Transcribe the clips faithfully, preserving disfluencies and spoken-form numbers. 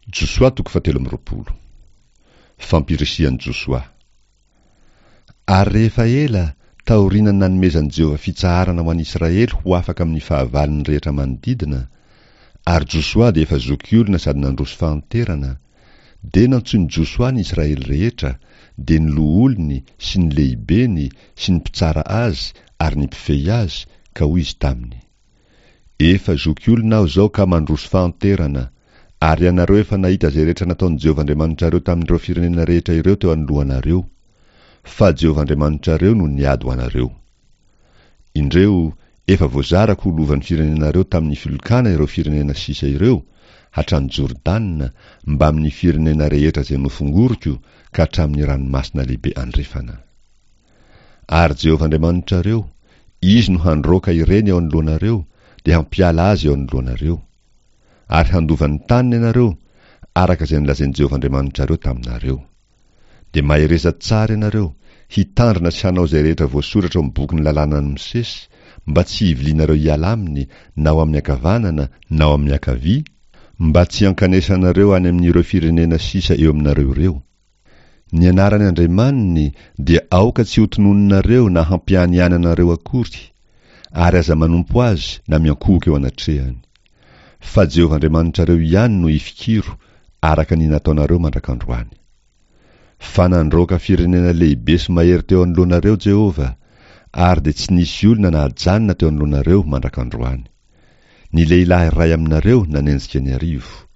Josoa toko fahatelo amby roapolo. Fampirisihan'i Josoa. Ary rehefa ela, taorian'ny nanomezan'i Jehovah fitsaharana ho an'i Israely ho afaka amin'ny fahavalony rehetra manodidina, ary Josoa dia efa zokiolona sady nandroso fahanterana, dia nantsoin'i Josoa ny Israely rehetra, dia ny loholony sy ny lehibeny sy ny mpitsara azy ary ny mpifehy azy, ka hoy izy taminy, Efa zokiolona aho izao ka mandroso fahanterana, ary ianareo efa nahita izay rehetra nataon'i Jehovah Andriamanitrareo tamin'ireo firenena rehetra ireo teo anoloanareo. Fa Jehovah Andriamanitrareo no niady ho anareo. Indreo, efa voazarako ho lovan'ny firenenareo tamin'ny filokana ireo firenena sisa ireo, hatrany Jordana, mbamin'ny firenena rehetra izay nofongoriko, ka hatramin'ny ranomasina lehibe andrefana. Ary Jehovah Andriamanitrareo, Izy no handroaka ireny eo anoloanareo, dia hampiala azy eo anoloanareo. Ary handova ny taniny ianareo, araka izay nolazain'i Jehovah Andriamanitrareo taminareo. Dia mahereza tsara ianareo, hitandrina sy hanao izay rehetra voasoratra ao amin'ny bokin'ny lalànan'i Mosesy, mba tsy hivilianareo hiala aminy, na ho amin'ny ankavanana na ho amin'ny ankavia, mba tsy hankanesanareo any amin'ireo firenena sisa eo aminareo ireo. Ny anaran'ny Andriamaniny dia aoka tsy hotononinareo na hampianiananareo akory, ary aza manompo azy na miankohoka eo anatrehany. Fa Jehovah Andriamanitrareo ihany no ifikiro, araka ny nataonareo mandrak'androany. Fa nandroaka firenena lehibe sy mahery teo anoloanareo Jehovah, ary dia tsy nisy olona nahajanona teo anoloanareo mandrak'androany. Ny lehilahy iray aminareo nanenjika ny arivo.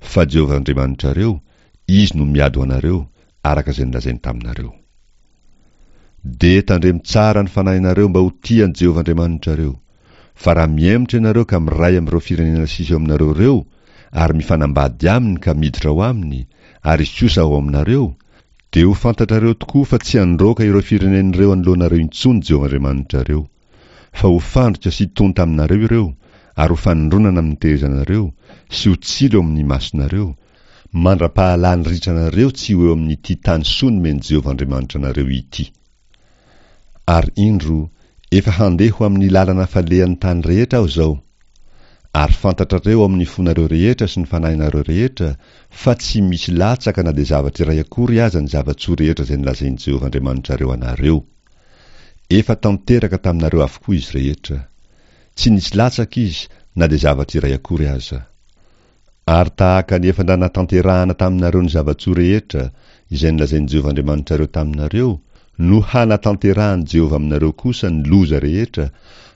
Fa Jehovah Andriamanitrareo, Izy no miady ho anareo, araka izay nolazainy taminareo. Dia tandremo tsara ny fanahinareo mba ho tia an'i Jehovah Andriamanitrareo. Fa raha mihemotra ianareo ka miray amin'ireo firenena sisa eo aminareo ireo, ary mifanambady aminy ka miditra ao aminy, ary izy kosa ao aminareo, dia ho fantatrareo tokoa fa tsy handroaka ireo firenena ireo anoloanareo intsony Jehovah Andriamanitrareo. Fa ho fandrika sy tonta aminareo ireo, ary ho fanindronana amin'ny tehezanareo, sy ho tsilo eo amin'ny masonareo, mandra-pahalany ritranareo tsy ho eo amin'ity tany soa nomen'i Jehovah Andriamanitra anareo ity. Ary indro, efa handeha ho amin'ny lalana falehan'ny tany rehetra aho izao. Ary fantatrareo ao amin'ny fonareo rehetra sy ny fanahinareo rehetra fa tsy misy latsaka na dia zavatra iray akory aza ny zava-tsoa rehetra izay nolazain'i Jehovah Andriamanitrareo anareo. Efa tanteraka taminareo avokoa izy rehetra. Tsy nisy latsaka izy na dia zavatra iray akory aza. Ary tahaka ny efa nanatanterahana taminareo ny zava-tsoa rehetra izay nolazain'i Jehovah Andriamanitrareo taminareo, no hanatanterahan'i Jehovah aminareo kosa ny loza rehetra,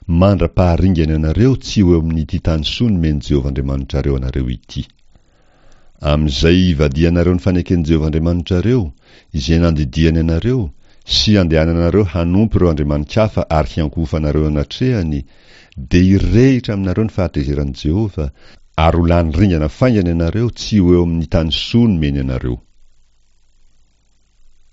mandra-paharingany anareo tsy ho eo amin'ity tany soa nomen'i Jehovah Andriamanitrareo anareo ity. Amin'izay hivadihanareo ny faneken'i Jehovah Andriamanitrareo, izay nandidiany anareo, sy handehananareo hanompo ireo andriamani-kafa ary hiankohofanareo eo anatrehany, dia hirehitra aminareo ny fahatezeran'i Jehovah, ary ho lany ringana faingana ianareo tsy ho eo amin'ny tany soa nomeny anareo.